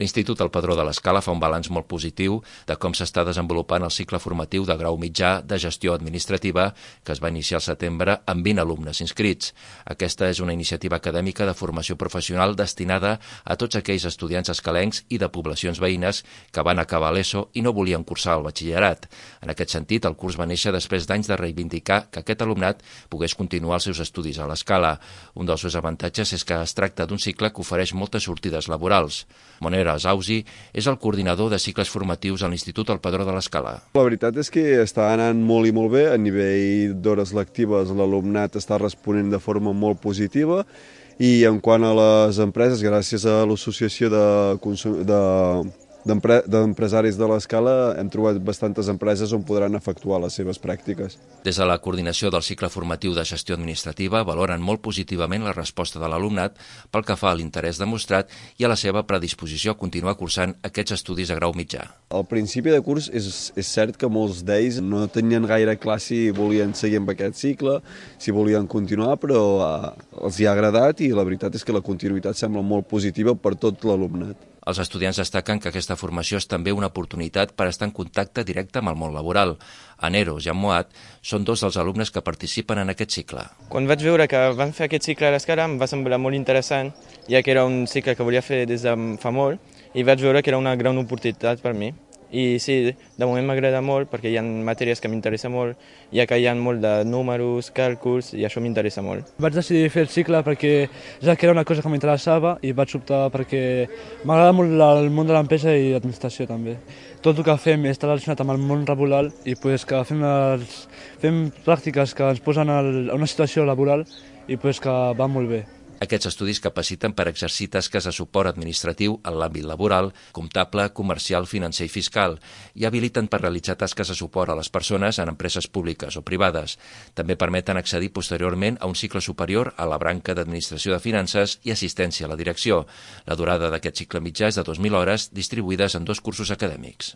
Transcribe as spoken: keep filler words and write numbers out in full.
L'Institut El Padró de l'Escala fa un balanç molt positiu de com s'està desenvolupant el cicle formatiu de grau mitjà de gestió administrativa que es va iniciar al setembre amb vint alumnes inscrits. Aquesta és una iniciativa acadèmica de formació professional destinada a tots aquells estudiants escalencs i de poblacions veïnes que van acabar l'ESO i no volien cursar el batxillerat. En aquest sentit, el curs va néixer després d'anys de reivindicar que aquest alumnat pogués continuar els seus estudis a l'Escala. Un dels seus avantatges és que es tracta d'un cicle que ofereix moltes sortides laborals. Monera Zausi és el coordinador de cicles formatius a l'Institut El Padró de l'Escala. La veritat és que està anant molt i molt bé. A nivell d'hores lectives, l'alumnat està responent de forma molt positiva i en quant a les empreses, gràcies a l'associació de, de d'empresaris de l'Escala hem trobat bastantes empreses on podran efectuar les seves pràctiques. Des de la coordinació del cicle formatiu de gestió administrativa valoren molt positivament la resposta de l'alumnat pel que fa a l'interès demostrat i a la seva predisposició a continuar cursant aquests estudis a grau mitjà. Al principi de curs és, és cert que molts d'ells no tenien gaire clar si volien seguir amb aquest cicle, si volien continuar, però eh, els hi ha agradat i la veritat és que la continuïtat sembla molt positiva per tot l'alumnat. Els estudiants destaquen que aquesta formació és també una oportunitat per estar en contacte directe amb el món laboral. Aneros i Moat són dos dels alumnes que participen en aquest cicle. Quan vaig veure que van fer aquest cicle a l'Escala em va semblar molt interessant, ja que era un cicle que volia fer des de fa molt i vaig veure que era una gran oportunitat per mi. I sí, de moment m'agrada molt perquè hi ha matèries que m'interessen molt, ja que hi ha molt de números, càlculs, i això m'interessa molt. Vaig decidir fer el cicle perquè ja que era una cosa que m'interessava i vaig optar perquè m'agrada molt el món de l'empresa i l'administració també. Tot el que fem està relacionat amb el món laboral i pues, que fem, les, fem pràctiques que ens posen a una situació laboral i pues, que va molt bé. Aquests estudis capaciten per exercir tasques de suport administratiu en l'àmbit laboral, comptable, comercial, financer i fiscal i habiliten per realitzar tasques de suport a les persones en empreses públiques o privades. També permeten accedir posteriorment a un cicle superior a la branca d'administració de finances i assistència a la direcció. La durada d'aquest cicle mitjà és de dos mil hores distribuïdes en dos cursos acadèmics.